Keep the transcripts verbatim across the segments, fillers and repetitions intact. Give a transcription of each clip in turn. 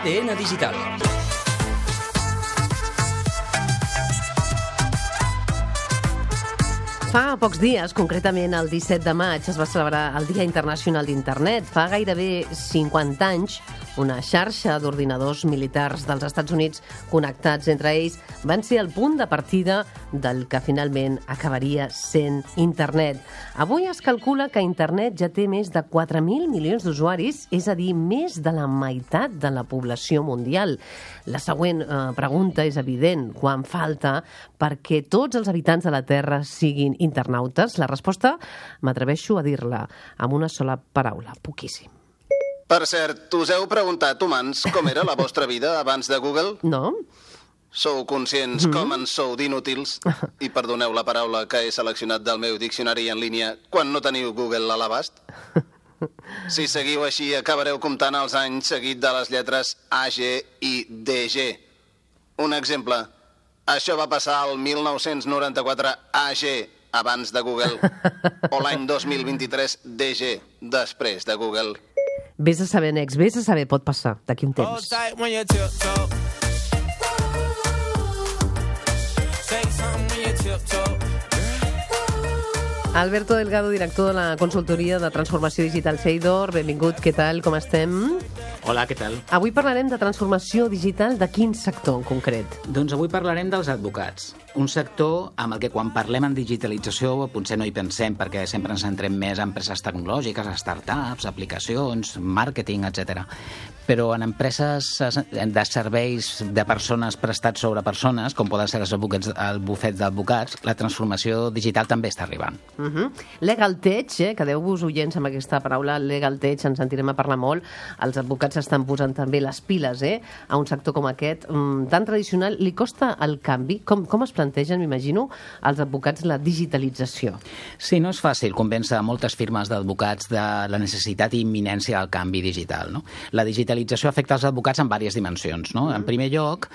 D N Digital. Fa pocs dies, concretament el disset de maig, es va celebrar el Dia Internacional d'Internet. Fa gairebé cinquanta anys, una xarxa d'ordinadors militars dels Estats Units connectats entre ells van ser el punt de partida del que finalment acabaria sent Internet. Avui es calcula que Internet ja té més de quatre mil milions d'usuaris, és a dir, més de la meitat de la població mundial. La següent eh, pregunta és evident. Quan falta perquè tots els habitants de la Terra siguin internautes? La resposta m'atreveixo a dir-la amb una sola paraula: poquíssim. Per cert, us heu preguntat, humans, com era la vostra vida abans de Google? No? Sou conscients mm-hmm. com en sou d'inútils? I perdoneu la paraula que he seleccionat del meu diccionari en línia quan no teniu Google a l'abast? Si seguiu així, acabareu comptant els anys seguit de les lletres A, G i D, G. Un exemple. Això va passar el mil nou-cents noranta-quatre A G, abans de Google, o l'any dos mil vint-i-tres D G, després de Google. Vés a saber, Nex, vés a saber, pot passar d'aquí un temps. Alberto Delgado, director de la consultoria de transformació digital Seidor. Benvingut, què tal, com estem? Hola, què tal? Avui parlarem de transformació digital de quin sector en concret? Doncs avui parlarem dels advocats. Un sector amb el que quan parlem en digitalització potser no hi pensem perquè sempre ens centrem més en empreses tecnològiques, startups, aplicacions, màrqueting, etcètera. Però en empreses de serveis de persones prestats sobre persones, com poden ser els advocats, el bufet d'advocats, la transformació digital també està arribant. Uh-huh. Legal tech, eh? Quedeu-vos oients amb aquesta paraula, legal tech, ens sentirem a parlar molt. Els advocats estan posant també les piles eh? a un sector com aquest, um, tan tradicional. Li costa el canvi? Com, com es plantegen, m'imagino, als advocats la digitalització? Sí, no és fàcil convèncer moltes firmes d'advocats de la necessitat i imminència del canvi digital. No? La digitalització afecta els advocats en diverses dimensions. No? En primer lloc,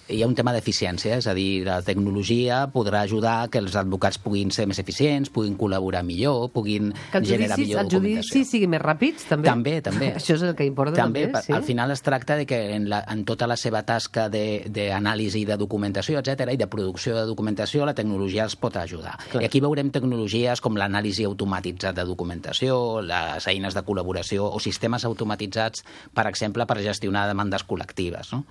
hi ha un tema d'eficiència, és a dir, la tecnologia podrà ajudar que els advocats puguin ser més eficients, puguin col·laborar millor, puguin generar millor documentació. Que els judicis siguin més ràpids, també? També, també. Això és el que importa també. també sí? Al final es tracta de que en, la, en tota la seva tasca d'anàlisi de, de documentació, etcètera, i de producció de documentació, la tecnologia els pot ajudar. Clar. I aquí veurem tecnologies com l'anàlisi automatitzat de documentació, les eines de col·laboració o sistemes automatitzats, per exemple, per gestionar demandes col·lectives. No?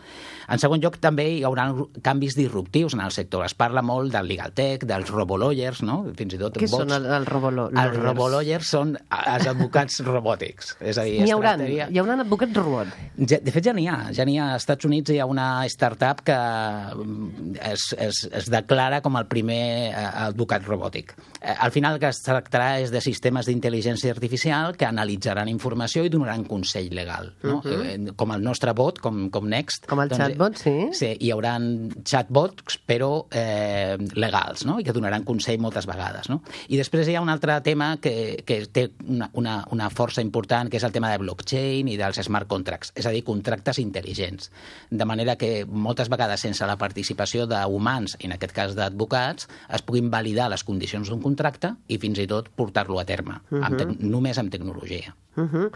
En segon lloc, també hi haurà canvis disruptius en el sector. Es parla molt del legal tech, dels robolawyers, no? Fins i tot Què bots. són els, els robolawyers? Els robolawyers són els advocats robòtics. És a dir, N'hi haurà, tractaria... hi haurà advocats robot. Ja, de fet, ja n'hi ha. Ja n'hi ha. Als Estats Units hi ha una startup que es, es, es declara com el primer advocat robòtic. Al final el que es tractarà és de sistemes d'intel·ligència artificial que analitzaran informació i donaran consell legal. No? Uh-huh. Com el nostre bot, com, com Next. Com el doncs, chatbot, sí. Sí, hi haurà chatbots, però eh, legals, no? I que donaran consell moltes vegades. No? I després hi ha un altre tema que, que té una, una, una força important, que és el tema de blockchain i dels smart contracts, és a dir, contractes intel·ligents. De manera que moltes vegades sense la participació d'humans, en aquest cas d'advocats, es puguin validar les condicions d'un contracte i fins i tot portar-lo a terme, uh-huh. amb te- només amb tecnologia. Uh-huh.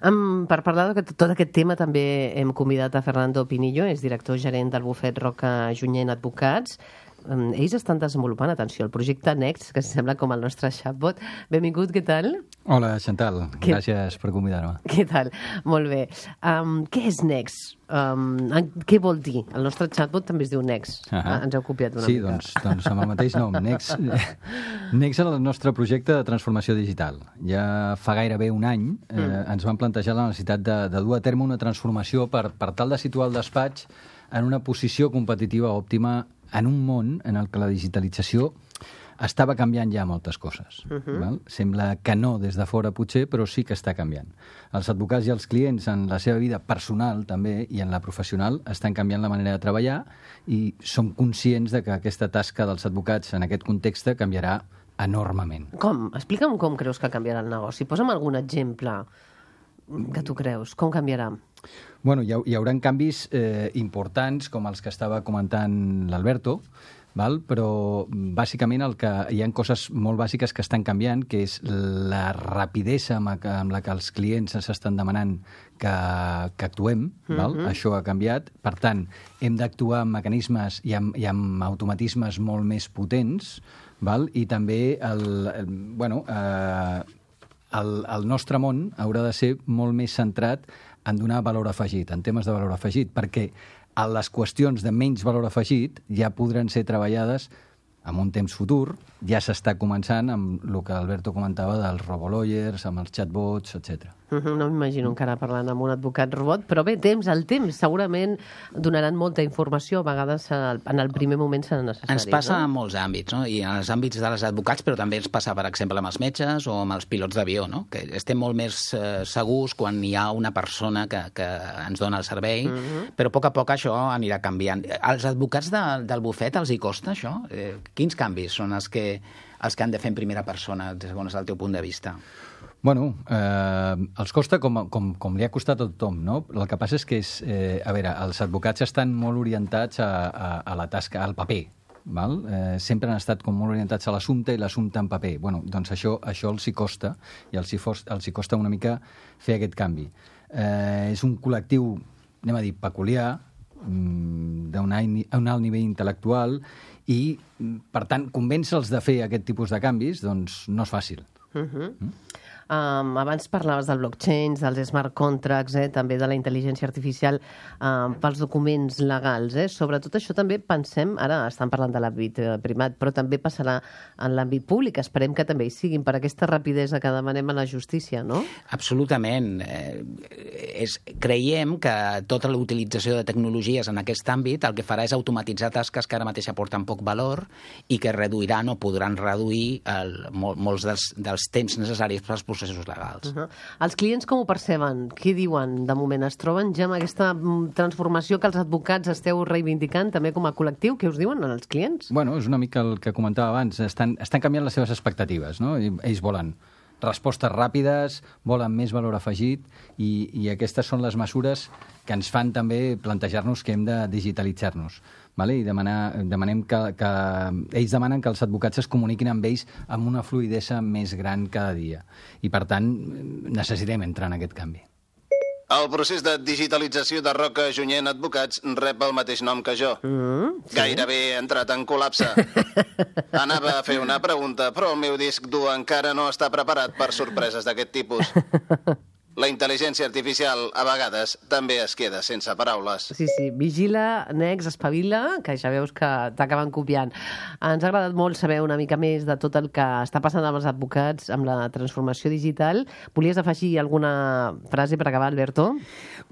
Um, per parlar de tot aquest tema també hem convidat a Fernando Pinillo, és director gerent del bufet Roca Junyent Advocats. Um, ells estan desenvolupant, atenció, el projecte Next, que sembla com el nostre chatbot. Benvingut, què tal? Hola, Chantal. Què... Gràcies per convidar-me. Què tal? Molt bé. Um, què és Next? Um, què vol dir? El nostre chatbot també es diu Next. Uh-huh. Ah, ens heu copiat una sí, mica. Sí, doncs, doncs amb el mateix nom. Next, Next és el nostre projecte de transformació digital. Ja fa gairebé un any eh, mm. ens vam plantejar la necessitat de, de dur a terme una transformació per, per tal de situar el despatx en una posició competitiva òptima en un món en el que la digitalització estava canviant ja moltes coses. Uh-huh. Val? Sembla que no des de fora potser, però sí que està canviant. Els advocats i els clients en la seva vida personal també i en la professional estan canviant la manera de treballar i som conscients de que aquesta tasca dels advocats en aquest context canviarà enormement. Com? Explica'm com creus que canviarà el negoci. Posa'm algun exemple que tu creus. Com canviarà? Bueno, hi, ha, hi haurà canvis eh, importants com els que estava comentant l'Alberto. val? Però bàsicament el que, hi ha coses molt bàsiques que estan canviant, que és la rapidesa amb, amb la que els clients ens estan demanant que, que actuem, val? Mm-hmm. Això ha canviat. Per tant, hem d'actuar amb mecanismes i amb, i amb automatismes molt més potents, val? I també el, el, bueno, eh, el, el nostre món haurà de ser molt més centrat en donar valor afegit, en temes de valor afegit, perquè a les qüestions de menys valor afegit ja podran ser treballades en un temps futur. Ja s'està començant amb el que Alberto comentava dels robolawyers, amb els chatbots, etcètera. Uh-huh, no m'imagino encara parlant amb un advocat robot, però bé, temps, el temps segurament donaran molta informació, a vegades en el primer moment serà necessari. Ens passa no? en molts àmbits, no? I en els àmbits dels advocats, però també ens passa, per exemple, amb els metges o amb els pilots d'avió, no? Que estem molt més eh, segurs quan hi ha una persona que, que ens dona el servei, uh-huh. però a poc a poc això anirà canviant. Als advocats de, del bufet els hi costa això? Eh, quins canvis són els que, els que han de fer en primera persona, segons el teu punt de vista? Bueno, eh, els costa com, com, com li ha costat a tothom, no? El que passa és que, és, eh, a veure, els advocats estan molt orientats a, a, a la tasca, al paper, val? Eh, sempre han estat com molt orientats a l'assumpte i l'assumpte en paper. Bueno, doncs això, això els hi costa, i els hi, fos, els hi costa una mica fer aquest canvi. Eh, és un col·lectiu, anem a dir, peculiar, d'un alt nivell intel·lectual, i, per tant, convèncer-los de fer aquest tipus de canvis, doncs no és fàcil. Uh-huh. Mm? Um, abans parlaves del blockchain, dels smart contracts, eh, també de la intel·ligència artificial um, pels documents legals. Eh? Sobretot això també pensem, ara estan parlant de l'àmbit eh, privat, però també passarà en l'àmbit públic. Esperem que també hi siguin per aquesta rapidesa que demanem a la justícia, no? Absolutament. Eh, és, creiem que tota la utilització de tecnologies en aquest àmbit el que farà és automatitzar tasques que ara mateix aporten poc valor i que reduiran o podran reduir el, mol, molts dels, dels temps necessaris per als processos legals. Uh-huh. Els clients com ho perceben? Què diuen de moment? Es troben ja amb aquesta transformació que els advocats esteu reivindicant també com a col·lectiu? Què us diuen els clients? Bueno, és una mica el que comentava abans. Estan, estan canviant les seves expectatives, no? I ells volen respostes ràpides, volen més valor afegit i, i aquestes són les mesures que ens fan també plantejar-nos que hem de digitalitzar-nos. Vale? I demanar, demanem que, que... Ells demanen que els advocats es comuniquin amb ells amb una fluïdesa més gran cada dia. I, per tant, necessitem entrar en aquest canvi. El procés de digitalització de Roca Junyent Advocats rep el mateix nom que jo. Mm, sí. Gairebé he entrat en col·lapse. Anava a fer una pregunta, però el meu disc dur encara no està preparat per sorpreses d'aquest tipus. La intel·ligència artificial, a vegades, també es queda sense paraules. Sí, sí. Vigila, Nex, espavila, que ja veus que t'acaben copiant. Ens ha agradat molt saber una mica més de tot el que està passant amb els advocats, amb la transformació digital. Volies afegir alguna frase per acabar, Alberto?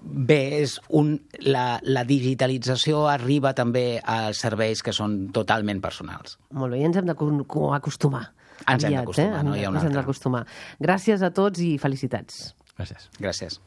Bé, és un, la, la digitalització arriba també als serveis que són totalment personals. Molt bé, i ens hem d'acostumar. Ens hem d'acostumar, eh? no hi ha una altra. Ens hem d'acostumar. Gràcies a tots i felicitats. Gràcies. Gràcies.